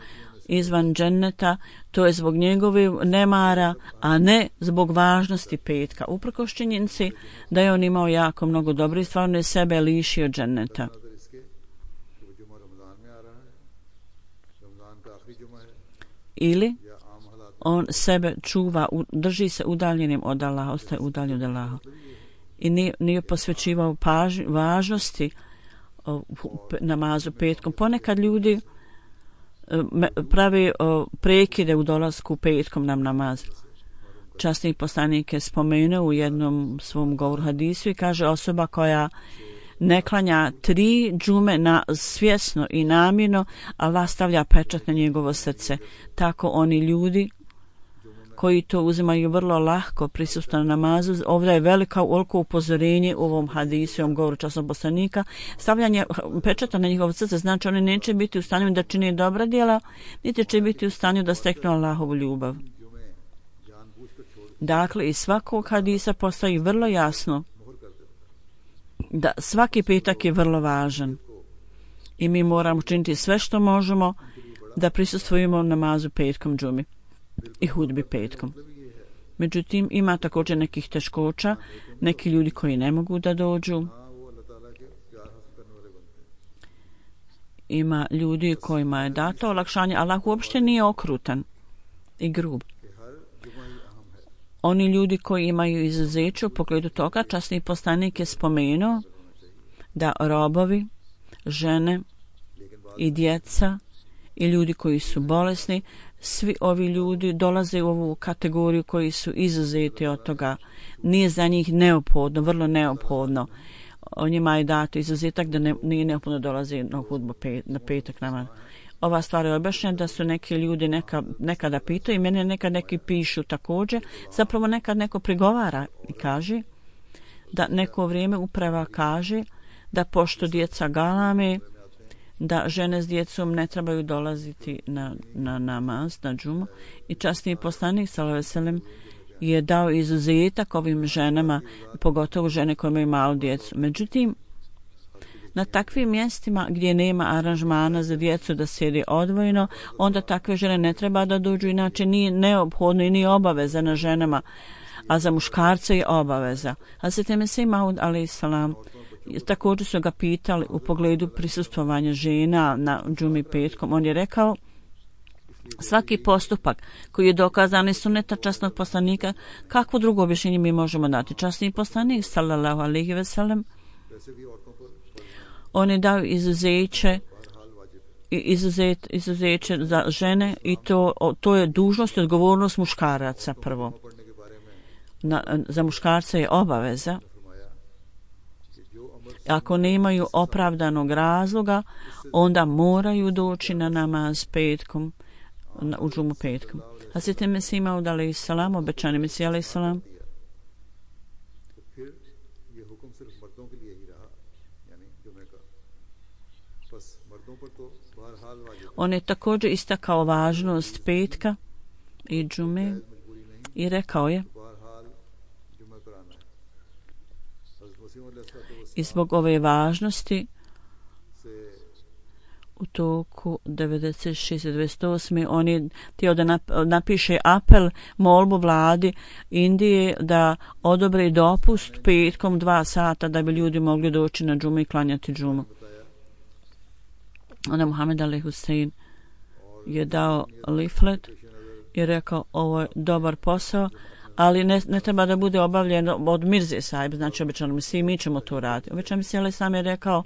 izvan dženneta, to je zbog njegove nemara, a ne zbog važnosti petka. Uprkos činjenici da je on imao jako mnogo dobro i stvarno je sebe lišio dženneta. Ili on sebe čuva, drži se udaljenim od Allaha, ostaje udaljen od Allaha. I nije, nije posvećivao paž, važnosti o, namazu petkom. Ponekad ljudi pravi o, prekide u dolasku petkom nam namaz. Časni poslanik je spomenuo u jednom svom govoru hadisu i kaže osoba koja ne klanja tri džume na svjesno i namjerno, Allah stavlja pečat na njegovo srce. Tako oni ljudi koji to uzimaju vrlo lahko prisustvo na namazu, ovdje je velika veliko upozorenje u ovom hadisu, u ovom govoru časnog poslanika. Stavljanje pečata na njihovo srce znači oni neće biti u stanju da čine dobra djela, niti će biti u stanju da steknu Allahovu ljubav. Dakle, iz svakog hadisa postoji vrlo jasno da svaki petak je vrlo važan i mi moramo činiti sve što možemo da prisustvujemo namazu petkom džumi i hudbi petkom. Međutim, ima također nekih teškoća, neki ljudi koji ne mogu da dođu. Ima ljudi kojima je dato olakšanje, Allah uopšte nije okrutan i grub. Oni ljudi koji imaju izuzeće u pogledu toga, časni poslanik je spomenuo da robovi, žene i djeca i ljudi koji su bolesni, svi ovi ljudi dolaze u ovu kategoriju koji su izuzeti od toga. Nije za njih neophodno, vrlo neophodno. O njima je dato izuzetak da ne, nije neophodno dolaze na hudbu pet, na petak namaz. Ova stvar je objašnjena da su neki ljudi neka, nekada pitaju i mene nekad neki pišu također. Zapravo nekad neko prigovara i kaže da neko vrijeme uprava kaže da pošto djeca galame, da žene s djecom ne trebaju dolaziti na, na namaz, na džumu. I časni poslanik sallallahu alejhi ve sellem je dao izuzetak ovim ženama, pogotovo žene koje imaju malu djecu. Međutim, Na takvim mjestima gdje nema aranžmana za djecu da sjedi odvojeno, onda takve žene ne treba da dođu, inače nije neophodno i nije obaveza na ženama, a za muškarce je obaveza. Hazret Mesih Maud alejhi selam također su ga pitali u pogledu prisustvovanja žena na džumi petkom. On je rekao: svaki postupak koji je dokazan iz suneta časnog poslanika, kakvo drugo objašnjenje mi možemo dati? Časni poslanik sallallahu alejhi ve sellem, on je dao izuzeće izuzet, izuzeće za žene i to, to je dužnost i odgovornost muškaraca prvo. Na, za muškarca je obaveza. Ako nemaju opravdanog razloga, onda moraju doći na namaz petkom, na, u džumu petkom. Hazret Mesih Maud alejhi selam, obećani Mesih alejhi selam, on je također istakao važnost petka i džume i rekao je: i zbog ove važnosti u toku devedeset šeste devedeset osme on je htio da napiše apel, molbu vladi Indije da odobre dopust petkom dva sata da bi ljudi mogli doći na džumu i klanjati džumu. Onda Muhammed Ali Hussein je dao leaflet i rekao: ovo je dobar posao, ali ne, ne treba da bude obavljen od Mirze Sahib, znači obično mi svi, mi ćemo to raditi. Obično mi se ali sam je rekao: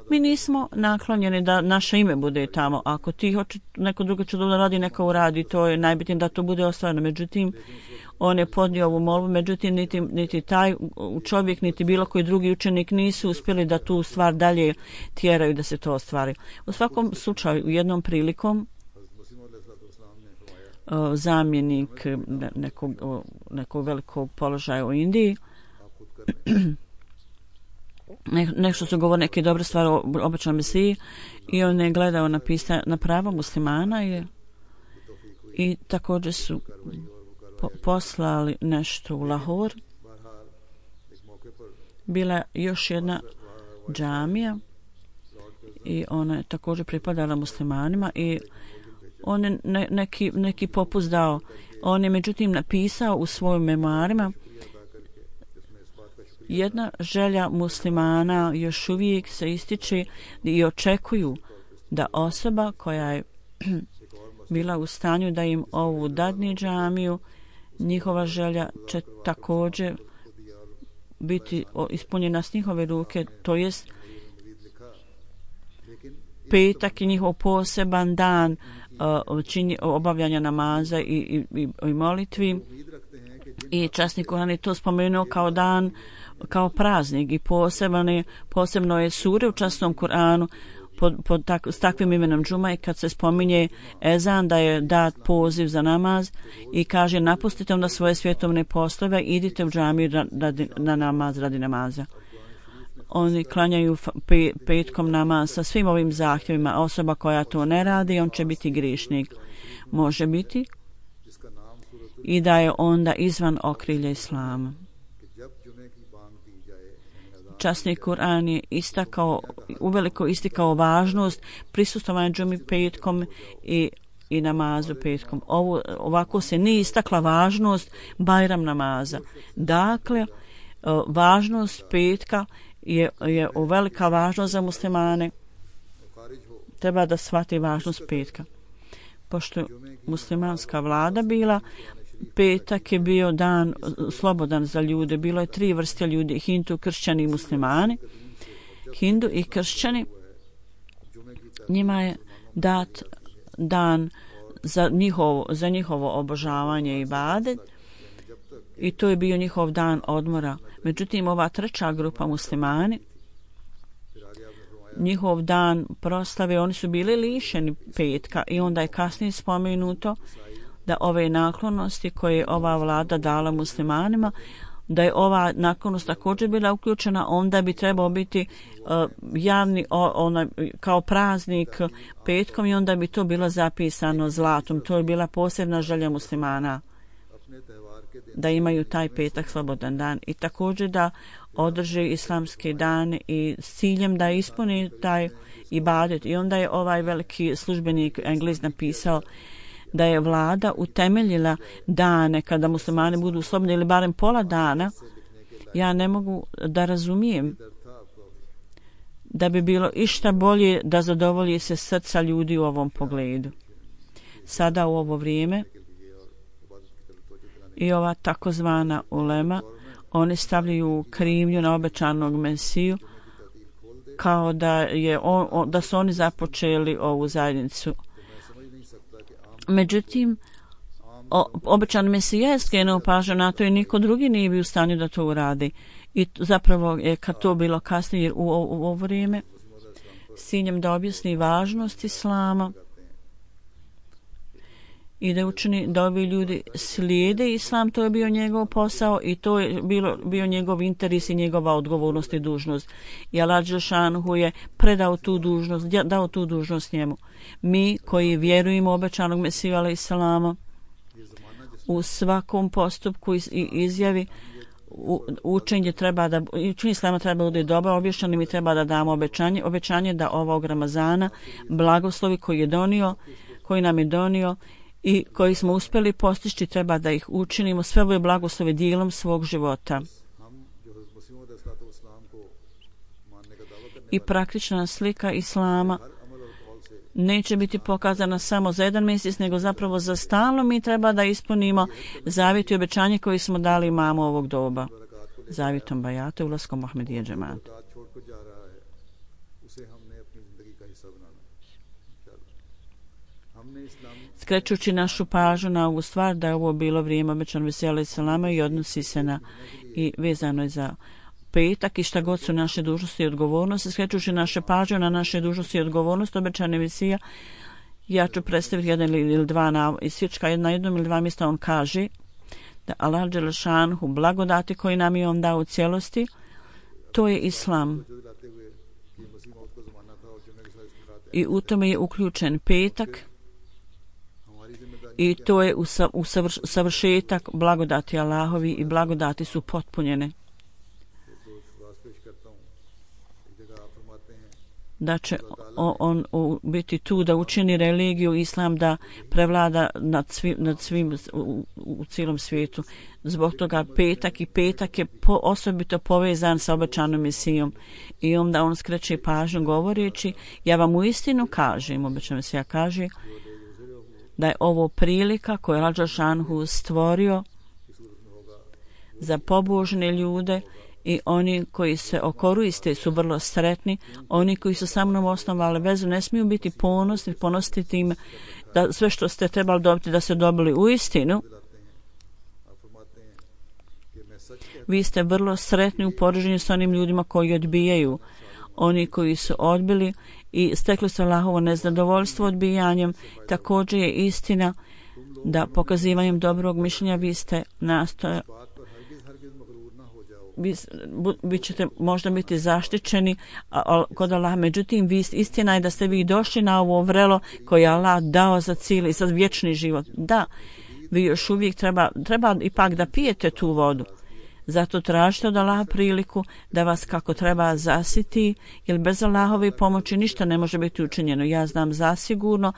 mi nismo naklonjeni da naše ime bude tamo. Ako ti hoće neko drugo će da radi, neka uradi, to je najbitnije da to bude ostvareno. Međutim, on je podnio ovu molbu, međutim niti, niti taj čovjek, niti bilo koji drugi učenik nisu uspjeli da tu stvar dalje tjeraju da se to ostvari. U svakom slučaju, u jednom prilikom zamjenik nekog, nekog velikog položaja u Indiji ne, nešto su govorili neke dobre stvari o obećanom Mesiji i on je gledao na, pisa, na pravo muslimana i, i također su po, poslali nešto u Lahor. Bila još jedna džamija i ona je također pripadala muslimanima i on je ne, neki, neki popust dao. On je međutim napisao u svojim memoarima: jedna želja muslimana još uvijek se ističe i očekuju da osoba koja je bila u stanju da im ovu dadne džamiju, njihova želja će također biti ispunjena s njihove ruke, to jest petak je njihov poseban dan uh, čini, obavljanja namaza i, i, i, i molitvi i časni Kur'an je to spomenuo kao dan, kao praznik i posebno, posebno je sure u časnom Kur'anu pod, pod tak, s takvim imenom džuma i kad se spominje ezan da je dat poziv za namaz i kaže: napustite onda svoje svjetovne poslove, idite u džamiju radi, na namaz radi namaza. Oni klanjaju pe, petkom namaz sa svim ovim zahtjevima. Osoba koja to ne radi, on će biti griješnik. Može biti i da je onda izvan okrilja islama. Časni Kur'an je istakao, uveliko istakao važnost prisustvovanja džumi petkom i, i namazu petkom. Ovo, ovako se nije istakla važnost Bajram namaza. Dakle, važnost petka je, je velika važnost za muslimane. Treba da shvati važnost petka. Pošto je muslimanska vlada bila, petak je bio dan slobodan za ljude. Bilo je tri vrste ljudi: Hindu, kršćani i muslimani. Hindu i kršćani, njima je dat dan za njihovo, za njihovo obožavanje i ibadet i to je bio njihov dan odmora. Međutim, ova treća grupa muslimani, njihov dan proslave, oni su bili lišeni petka i onda je kasnije spomenuto da ove naklonosti koje je ova vlada dala muslimanima, da je ova naklonost također bila uključena, onda bi trebao biti uh, javni o, ona, kao praznik petkom i onda bi to bilo zapisano zlatom. To je bila posebna želja muslimana. da imaju taj petak slobodan dan i također da održe islamski dan i s ciljem da ispuni taj ibadet. I onda je ovaj veliki službenik Englez napisao da je vlada utemeljila dane kada muslimani budu slobodni ili barem pola dana. Ja ne mogu da razumijem da bi bilo išta bolje da zadovolji se srca ljudi u ovom pogledu. Sada u ovo vrijeme i ova takozvana ulema, oni stavljaju krivnju na obećanog Mesiju kao da, je on, on, da su oni započeli ovu zajednicu. Međutim, o, obećan Mesija je skrenuo pažnju na to i niko drugi nije bio u stanju da to uradi. I zapravo je kad to bilo kasnije, jer u, u, u ovo vrijeme s ciljem da objasni važnost Islama i da učini da ovi ljudi slijede Islam, to je bio njegov posao i to je bilo, bio njegov interes i njegova odgovornost i dužnost. I Allah Đelšanhu je predao tu dužnost, dao tu dužnost njemu. Mi koji vjerujemo u obećanog Mesiju alejhi selama u svakom postupku i izjavi U, učenje treba da učenje Islama treba da bude dobro objašnjeno i mi treba da damo obećanje obećanje da ovog Ramazana blagoslovi koji je donio koji nam je donio i koji smo uspjeli postići treba da ih učinimo sve ove blagoslove dijelom svog života. I praktična slika Islama neće biti pokazana samo za jedan mjesec, nego zapravo za stalno. Mi treba da ispunimo zavjet i obećanje koji smo dali imamu ovog doba. Zavjetom bajata i ulaskom Ahmedije džemata. Skrećući našu pažnju na ovu stvar da je ovo bilo vrijeme obećano Mesija alejhi selama i odnosi se na i vezano je za petak i šta god su naše dužnosti i odgovornosti, skrećući naše pažnje na naše dužnosti i odgovornosti obećane Mesija, ja ću predstaviti jedan ili dva na isječka, na jednom ili dva mjesta on kaže da Allah Đelešanhu blagodati koji nam je on dao u cijelosti, to je Islam. I u tome je uključen petak i to je usavršetak blagodati Allahovi i blagodati su potpunjene. Da će on, on, on biti tu da učini religiju Islam da prevlada nad svim, nad svim u, u cijelom svijetu. Zbog toga petak i petak je po, osobito povezan sa obećanom Mesijom. I onda on skreće pažnju govoreći, ja vam uistinu kažem, obećana Mesija kaže, da je ovo prilika koju je Allah Đelšanhu stvorio za pobožne ljude i oni koji se okoriste su vrlo sretni. Oni koji su sa mnom osnovali vezu ne smiju biti ponosni, ponositi tim da sve što ste trebali dobiti da ste dobili u istinu. Vi ste vrlo sretni u poređenju s onim ljudima koji odbijaju. Oni koji su odbili i stekli su Allahovo nezadovoljstvo odbijanjem. Također je istina da pokazivanjem dobrog mišljenja vi ste nastojali vi, vi ćete možda biti zaštićeni a, a, kod Allaha. Međutim, vi, istina je da ste vi došli na ovo vrelo koje je Allah dao za cilj i za vječni život. Da, vi još uvijek treba, treba ipak da pijete tu vodu. Zato tražite od Allaha priliku da vas kako treba zasiti, jer bez Allahove pomoći ništa ne može biti učinjeno. Ja znam zasigurno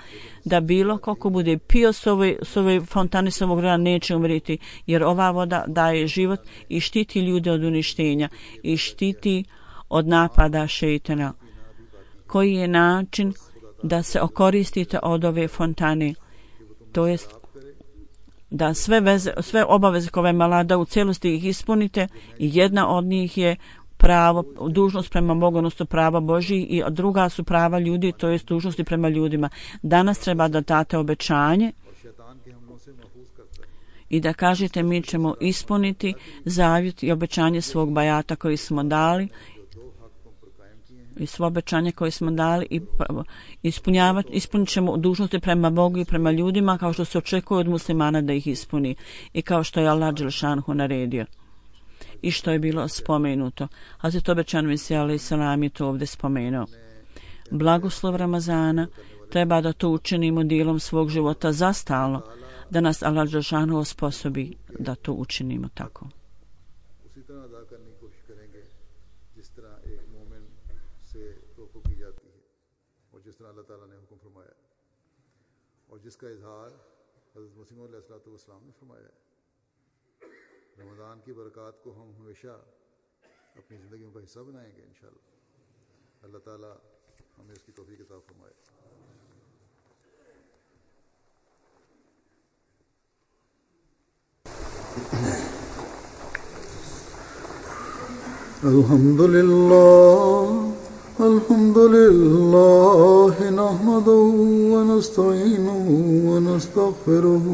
da bilo koliko bude pio s ove, s ove fontane s ovog grana neće umriti, jer ova voda daje život i štiti ljude od uništenja i štiti od napada šejtana. Koji je način da se okoristite od ove fontane? To jest da sve, veze, sve obaveze koje vam Allah da u cijelosti ih ispunite i jedna od njih je pravo, dužnost prema Bogu, odnosno prava Božji i druga su prava ljudi, to jest dužnosti prema ljudima. Danas treba da date obećanje i da kažete mi ćemo ispuniti zavjet i obećanje svog bajata koji smo dali i svo obećanje koje smo dali i ispunjavati, ispunit ćemo dužnosti prema Bogu i prema ljudima kao što se očekuje od muslimana da ih ispuni i kao što je Allah Đelšanhu naredio i što je bilo spomenuto. Hazret obećan Mesija alejhi selam je to ovdje spomenuo. Blagoslov Ramazana treba da to učinimo dijelom svog života zastalno. da nas Allah dželešanu osposobi da to učinimo tako. उसी तरह अदा करने की कोशिश करेंगे जिस तरह एक मोमिन से तवक्को की जाती है और जिस तरह अल्लाह ताला ने हुक्म फरमाया और जिसका इजहार हज़रत मसीह मौऊद अलैहिस्सलाम ने फरमाया है। रमज़ान की बरक़ात को हम हमेशा अपनी ज़िंदगियों का हिस्सा बनाएंगे इंशाअल्लाह। अल्लाह ताला हमें इसकी तौफीक अता फरमाए। अल्हम्दुलिल्लाह अल्हम्दुलिल्लाह नहमदुहु व नस्तईनुहु व नस्तगफिरुहु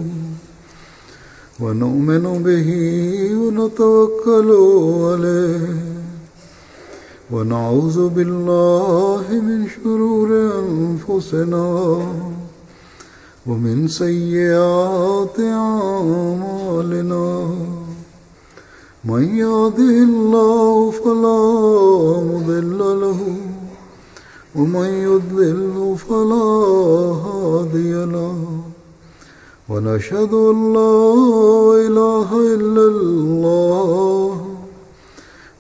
व नु'मिनु बिही व नतवक्कलु अलैहि व नऊज़ु बिल्लाहि मिन शुरूरि अनफुसिना व मिन सय्यिआति अअमालिना मन यहदिहिल्लाहु फला मुदिल्ल लहु व मन युद्लिल्हु फला हादिय लहु व नशहदु अन ला इलाहा इल्लल्लाह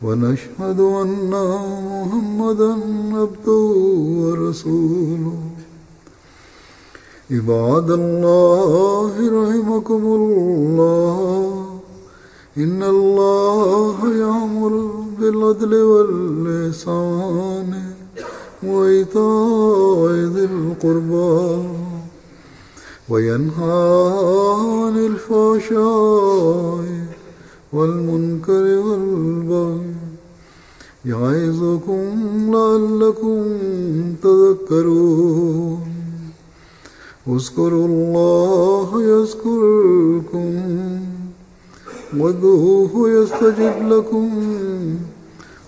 व नशहदु अन्ना मुहम्मदन अब्दुहु व रसूलुहु। इबादल्लाहि रहिमकुमुल्लाह إن الله يأمر بالعدل والإحسان وإيتاء ذي القربى وينهى عن الفحشاء والمنكر والبغي يعظكم لعلكم تذكرون اذكروا الله يذكركم وادعوه يستجب لكم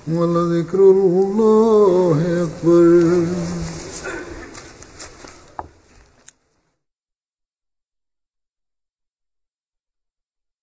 ولذكر الله أكبر.